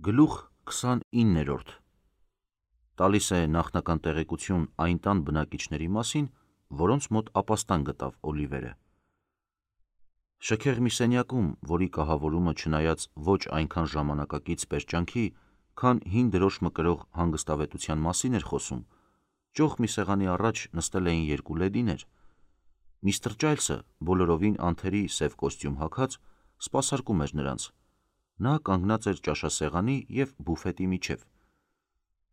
Գլուխ 29 տալիս է նախնական տեղեկություն այն տան բնակիչների մասին, որոնց մոտ ապաստան գտավ Օլիվերը։ Շքեղ մի սենյակում, որի կահավորումը չնայած ոչ այնքան ժամանակակից պերճանքի, քան հին դրոշ մկրող հանգստավետության մասին էր խոսում, ճոխ մի սեղանի առաջ նստել էին երկու լեդիներ։ Միստր Ջայլսը, բոլորովին անթերի սև կոստյում հագած, սպասարկում էր նրանց։ Նա կանգնած էր ճաշասեղանի և բուֆետի միջև։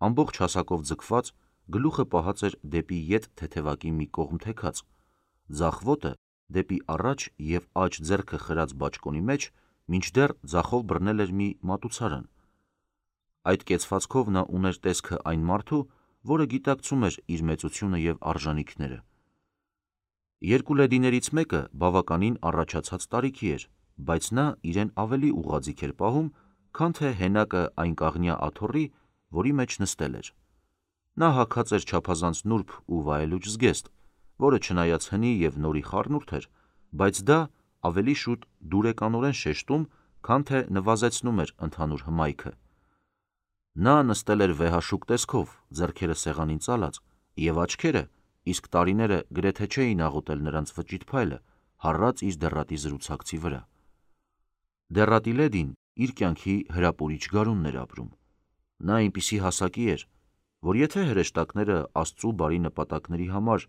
Ամբողջ հասակով ձգված, գլուխը պահած էր դեպի ետ թեթևակի մի կողմ թեքած, ձախ ոտը դեպի առաջ և աջ ձեռքը խրած բաճկոնի մեջ, մինչդեռ ձախով բռնել էր մի մատուցարան։ Այդ կեցվածքով նա ուներ տեսքը այն մարդու, որը գիտակցում էր իր մեծությունը և արժանիքները։ Երկու լեդիներից մեկը բավականին առաջացած տարիքի էր, բայց նա իրեն ավելի ուղղաձիգ էր պահում, քան թե հենակը այն կաղնյա աթոռի, որի մեջ նստել էր։ Նա հագած էր չափազանց նուրբ ու վայելուչ զգեստ, որը չնայած հնի և նորի խառնուրդ էր, բայց դա ավելի շուտ դուրեկանորեն շեշտում, քան թե նվազեցնում էր ընդհանուր հմայքը։ Նա նստել էր վեհաշուկ տեսքով, ձեռքերը սեղանին ծալած, և աչքերը, իսկ տարիները գրեթե չէին աղոթել նրանց վճիտ փայլը, հառած իր դեռատի զրուցակցի վրա։ Դեռատի լեդին իր կյանքի հրապուրիչ գարունն էր ապրում։ Նա այնպիսի հասակի էր, որ եթե հրեշտակները Աստծու բարի նպատակների համար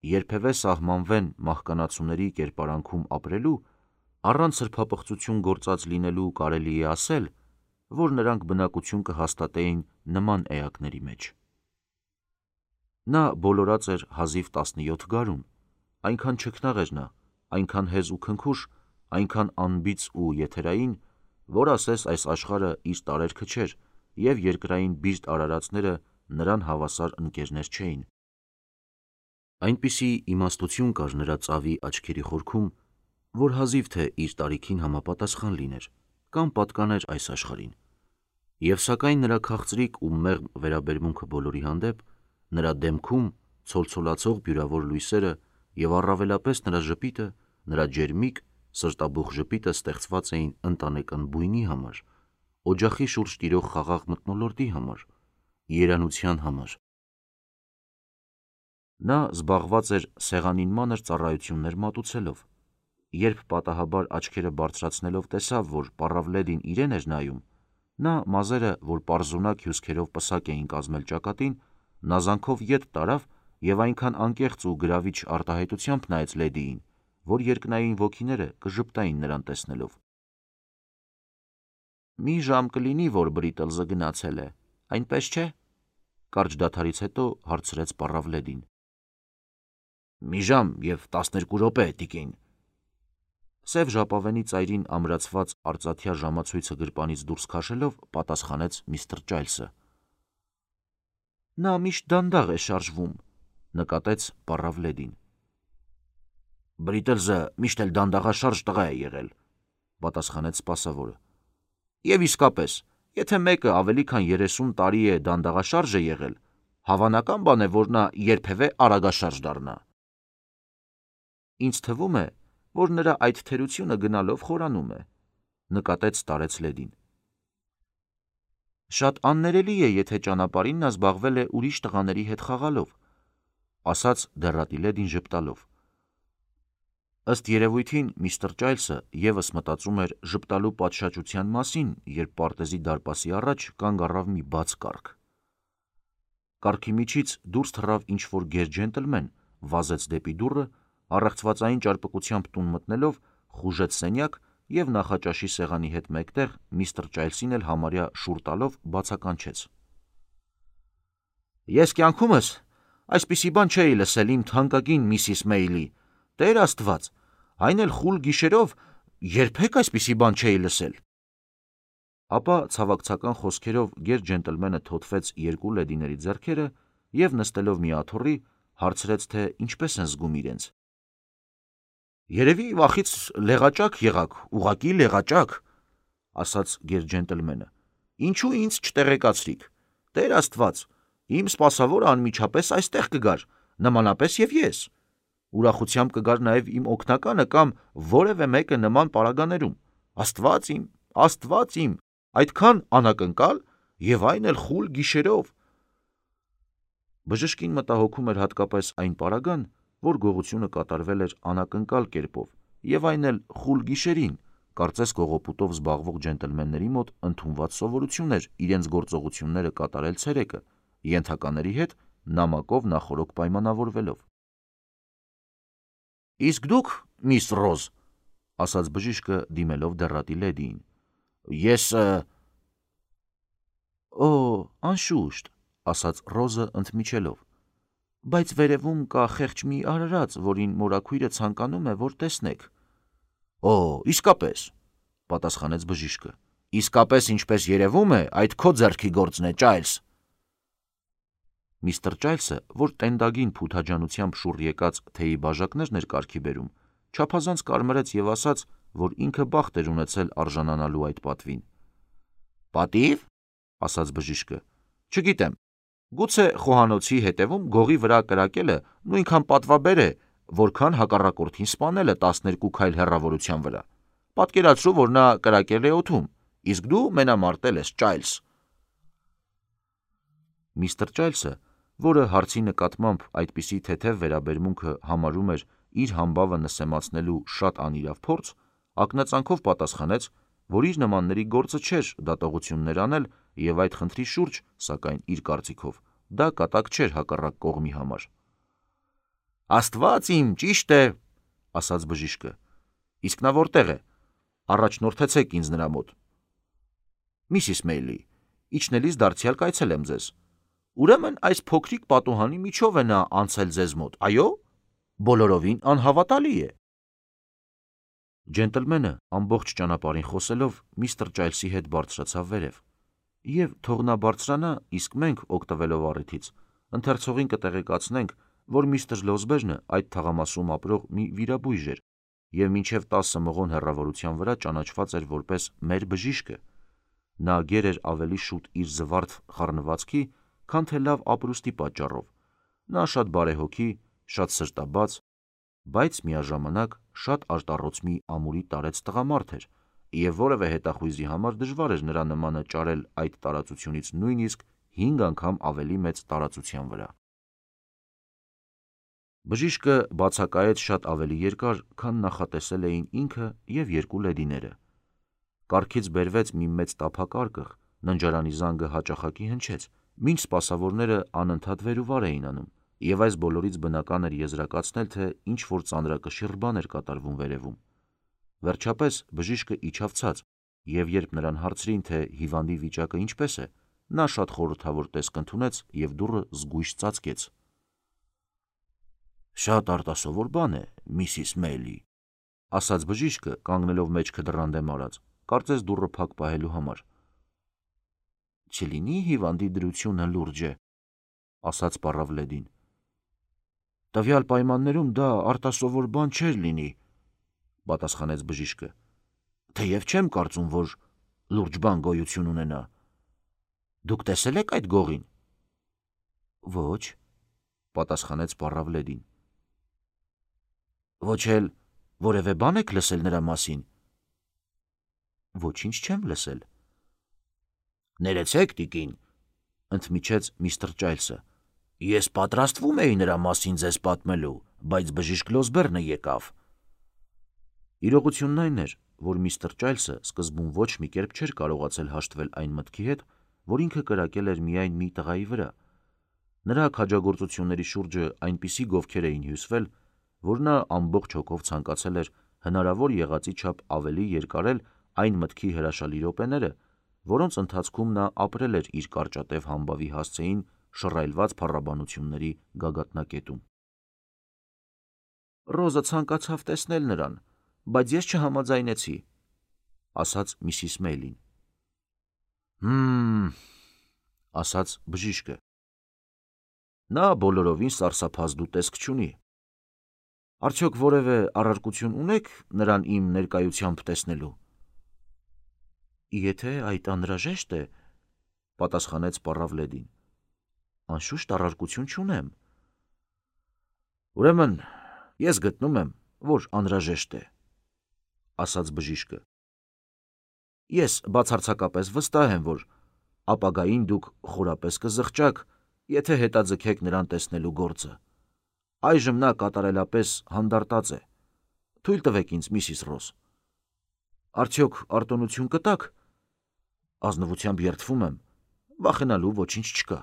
երբևէ սահմանվեն մահկանացուների կերպարանքում ապրելու, առանց սրբապղծություն գործած լինելու կարելի է ասել, որ նրանք բնակություն կհաստատեին նման էակների մեջ։ Նա բոլորած էր հազիվ 17 գարուն, այնքան չքնաղ էր նա, այնքան հեզ ու քնքուշ, այնքան անբիծ ու եթերային, որ ասես այս աշխարհը իր տարերքը չէր, և երկրային բիրտ արարածները նրան հավասար ընկերներ չէին։ Այնպիսի իմաստություն կար նրա ծավի աչքերի խորքում, որ հազիվ թե իր տարիքին համապատասխան լիներ կամ պատկաներ այս աշխարհին։ Եվ սակայն նրա քաղցրիկ ու մեղմ վերաբերմունքը բոլորի հանդեպ, նրա դեմքում ցոլցոլացող բյուրավոր լույսերը և առավելապես նրա ժպիտը, նրա ջերմիկ, սրտաբուխ ժպիտը ստեղծված էին ընտանեկան բույնի համար, օջախի շուրջ տիրող խաղաղ մթնոլորտի համար, երանության համար։ Նա զբաղված էր սեղանին մանր ծառայություններ մատուցելով։ Երբ պատահաբար աչքերը բարձրացնելով տեսավ, որ պառավ լեդին իրեն էր նայում, նա մազերը, որ պարզունակ հյուսքերով պսակ էին կազմել ճակատին, նազանքով ետ տարավ և այնքան անկեղծ ու գրավիչ արտահայտությամբ նայեց լեդիին, որ երկնային ոգիները կժպտային նրան տեսնելով։ «Մի ժամ կլինի, որ Բրիտլզը գնացել է, այնպես չէ՞», կարճ դադարից հետո հարցրեց պառավ լեդին։ «Մի ժամ և 12 րոպե, տիկին», սև ժապավենի ծայրին ամրացված արծաթյա ժամացույցը գրպանից դուրս քաշելով պատասխանեց միստր Ջայլսը։ «Նա միշտ դանդաղ է շարժվում», նկատեց պառավ լեդին։ «Բրիտլզը միշտ էլ դանդաղաշարժ տղա է եղել», պատասխանեց սպասավորը։ «Եվ իսկապես, եթե մեկը ավելի քան 30 տարի է դանդաղաշարժ է եղել, հավանական բան է, որ նա երբևէ արագաշարժ դառնա»։ «Ինձ թվում է, որ նրա այդ թերությունը գնալով խորանում է», նկատեց տարեց լեդին։ «Շատ աններելի է, եթե ճանապարհին նա զբաղվել է ուրիշ տղաների հետ խաղալով», ասաց դեռատի լեդին ժպտալով։ Ըստ երևույթին միստր Ջայլսը ևս մտածում էր ժպտալու պատշաճության մասին, երբ պարտեզի դարպասի առաջ կանգ առավ մի բաց կառք։ Կառքի միջից դուրս թռավ ինչ-որ գեր ջենտլմեն, վազեց դեպի դուռը, առեղծվածային ճարպկությամբ տուն մտնելով, խուժեց սենյակ և նախաճաշի սեղանի հետ մեկտեղ միստր Ջայլսին էլ համարյա շուռ տալով բացականչեց. «Ես կյանքումս այսպիսի բան չէի լսել իմ թանկագին Միսիս Մեյլի, Տեր Աստված, այն էլ խուլ գիշերով երբեք այսպիսի բան չէի լսել»։ Ապա ցավակցական խոսքերով գեր ջենտլմենը թոթվեց երկու լեդիների ձեռքերը և նստելով մի աթոռի, հարցրեց, թե ինչպես են զգում իրենց։ «Երևի վախից լեղաճակ եղաք, ուղղակի լեղաճակ», ասաց գեր ջենտլմենը։ «Ինչու ինձ չտեղեկացրիք։ Տեր Աստված, իմ սպասավորը անմիջապես այստեղ կգար, նմանապես և ես։ Ուրախությամբ կգար նաև իմ օգնականը կամ որևէ մեկը նման պարագաներում։ Աստված իմ, Աստված իմ, Այդքան անակնկալ եւ այն էլ խուլ գիշերով։ Բժշկին մտահոգում էր հատկապես այն պարագան, որ գողությունը կատարվել էր անակնկալ կերպով եւ այն էլ խուլ գիշերին, կարծես կողոպուտով զբաղվող ջենտլմենների մոտ ընդունված սովորություն էր իրենց գործողությունները կատարել ցերեկը, ենթակաների հետ նամակով նախորոք պայմանավորվելով։ Իսկ դուք, միս Ռոզ, ասաց բժիշկը դիմելով դեռատի լեդիին, ես Օ, անշուշտ, ասաց Ռոզը ընդմիջելով, բայց վերևում կա խեղճ մի արարած, որին մորաքույրը ցանկանում է, որ տեսնեք։ Օ, իսկապես, պատասխանեց բժիշկը, իսկապես ինչպես երևում է, այդ քո ձեռքի գործն է, Ճայլս։ Միստր Ճայլսը, որ տենդագին փութաջանությամբ շուռ եկած թեյի բաժակներն էր կարգի բերում, չափազանց կարմրեց եւ ասաց, որ ինքը բախտ էր ունեցել արժանանալու այդ պատվին։ Պատիվ, ասաց բժիշկը, չգիտեմ, գուցե խոհանոցի հետևում գողի վրա կրակելը նույնքան պատվաբեր է, որքան հակառակորդին սպանելը 12 քայլ հեռավորության վրա։ Պատկերացրու, որ նա կրակել է օդում, իսկ դու մենամարտել ես, Ճայլս։ Միստր Ճայլսը, որը հարցի նկատմամբ այդպիսի թեթև վերաբերմունքը համարում էր իր համբավը նսեմացնելու շատ անիրավ փորձ, ակնածանքով պատասխանեց, որ իր նմանների գործը չէր դատողություններ անել եւ այդ խնդրի շուրջ, սակայն իր կարծիքով, դա կատակ չէր հակառակ կողմի համար։ Աստված իմ, ճիշտ է, ասաց բժիշկը, իսկ նա որտեղ է, առաջնորդեցեք ինձ նրա մոտ։ Միսիս Մեյլի, իջնելիս դարձյալ կայցելեմ ձեզ։ Ուրեմն այս փոքրիկ պատուհանի միջով է նա անցել ձեզ մոտ, այո, բոլորովին անհավատալի է։ Ջենտլմենը ամբողջ ճանապարհին խոսելով միստր Ճայլսի հետ բարձրացավ վերև, եւ թող նա բարձրանա, իսկ մենք, օգտվելով առիթից, ընթերցողին կտեղեկացնենք, որ միստր Լոզբերնը այդ թաղամասում ապրող մի վիրաբույժ էր եւ մինչեւ 10 մղոն հեռավորության վրա ճանաչված էր որպես մեր բժիշկը։ Նա գեր էր ավելի շուտ իր զվարթ խառնվածքի, քան թե լավ ապրուստի պատճառով։ Նա շատ բարեհոգի, շատ սրտաբաց, բայց միաժամանակ շատ արտառոց մի ամուրի տարեց տղամարդ էր, եւ որևէ հետախույզի համար դժվար էր նրա նմանը ճարել այդ տարածությունից նույնիսկ 5 անգամ ավելի մեծ տարածության վրա։ Բժիշկը բացակայեց շատ ավելի երկար, քան նախատեսել էին ինքը եւ երկու լեդիները։ Կառքից բերվեց մի մեծ տափակարկղ, ննջարանի զանգը հաճախակի հնչեց, մինչ սպասավորները անընդհատ վեր ու վար էին անում, եւ այս բոլորից բնական էր եզրակացնել, թե ինչ որ ծանրակշիռ բան էր կատարվում վերևում։ Վերջապես բժիշկը իջավ ցած, եւ երբ նրան հարցրին, թե հիվանդի վիճակը ինչպես է, նա շատ խորհրդավոր տեսք ընդունեց եւ դուռը զգույշ ծածկեց։ Շատ արտասովոր բան է, միսիս Մեյլի, ասաց բժիշկը, կանգնելով մեջքը դռան դեմ արած, կարծես դուռը փակ պահելու համար։ Չլինի հիվանդի դրությունը լուրջ է, ասաց պառավ լեդին։ Տվյալ պայմաններում դա արտասովոր բան չէր լինի, պատասխանեց բժիշկը, թեև չեմ կարծում, որ լուրջ բան գոյություն ունենա։ Դուք տեսել եք այդ գողին։ Ոչ, պատասխանեց պառավ լեդին։ Ոչ էլ որևէ բան եք լսել նրա մասին։ Ոչինչ չեմ լսել։ Ներեցեք, տիկին, ընդմիջեց միստր Ճայլսը, ես պատրաստվում էի նրա մասին ձեզ պատմելու, բայց բժիշկ Լոզբերնը եկավ։ Իրողությունն այն էր, որ միստր Ճայլսը սկզբում ոչ մի կերպ չէր կարողացել հաշտվել այն մտքի հետ, որ ինքը կրակել էր միայն մի տղայի վրա։ Նրա քաջագործությունների շուրջը այնպիսի գովքեր էին հյուսվել, որ նա ամբողջ հոգով ցանկացել էր հնարավոր եղածի չափ ավելի երկարել այն մտքի հրաշալի րոպեները, որոնց ընթացքում նա ապրել էր իր կարճատև համբավի հասցեին շռայլված փառաբանությունների գագաթնակետում։ Ռոզը ցանկացավ տեսնել նրան, բայց ես չհամաձայնեցի, ասաց միսիս Մեյլին։ Ասաց բժիշկը։ Նա բոլորովին սարսափազդու տեսք չունի։ Արդյոք որևէ առարկություն ունեք նրան իմ ներկայությամբ տեսնելու։ Եթե այդ անհրաժեշտ է, պատասխանեց պառավ լեդին, անշուշտ առարկություն չունեմ։ Ուրեմն ես գտնում եմ, որ անհրաժեշտ է, ասաց բժիշկը։ Ես բացարձակապես վստահ եմ, որ ապագային դուք խորապես կզղջաք, եթե հետաձգեք նրան տեսնելու գործը։ Այժմ նա կատարելապես հանդարտած է։ Թույլ տվեք ինձ, Միսիս Ռոզ։ Արդյոք արտոնություն կտաք։ Ազնվությամբ երդվում եմ, վախենալու ոչինչ չկա։